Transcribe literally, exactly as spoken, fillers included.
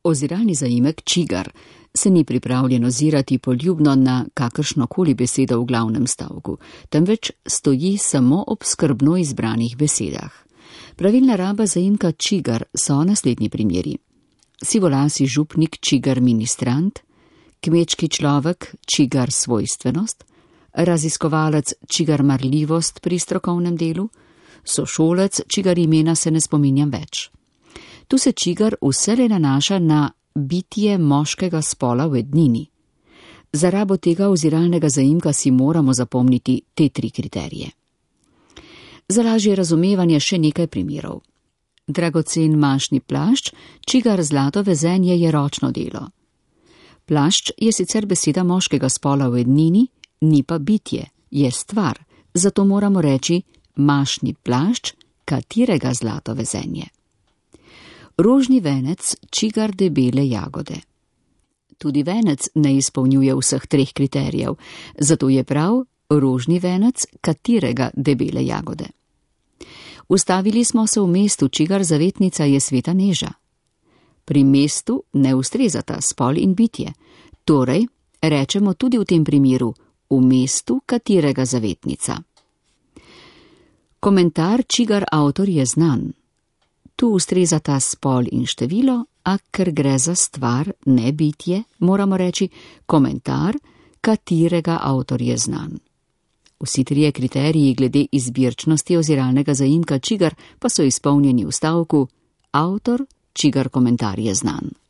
Oziralni zaimek čigar se ni pripravljen ozirati poljubno na kakršnokoli besedo v glavnem stavku, temveč stoji samo ob skrbno izbranih besedah. Pravilna raba zaimka čigar so naslednji primeri. Sivolasi župnik čigar ministrant, kmečki človek čigar svojstvenost, raziskovalec čigar marljivost pri strokovnem delu, sošolec čigar imena se ne spominjam več. Tu se čigar vselej nanaša na bitje moškega spola v ednini. Za rabo tega oziralnega zaimka si moramo zapomniti te tri kriterije. Za lažje razumevanje še nekaj primerov. Dragocen mašni plašč, čigar zlato vezenje je ročno delo. Plašč je sicer beseda moškega spola v ednini, ni pa bitje, je stvar, zato moramo reči mašni plašč, katerega zlato vezenje. Rožni venec, čigar debele jagode. Tudi venec ne izpolnjuje vseh treh kriterijev, zato je prav rožni venec, katerega debele jagode. Ustavili smo se v mestu, čigar zavetnica je sveta Neža. Pri mestu ne ustrezata spol in bitje, torej rečemo tudi v tem primeru v mestu, katerega zavetnica. Komentar, čigar avtor je znan. Tu ustrezata spol in število, a ker gre za stvar, ne bitje, moramo reči komentar, katerega avtor je znan. Vsi trije kriteriji glede izbirčnosti oziralnega zaimka čigar pa so izpolnjeni v stavku avtor, čigar komentar je znan.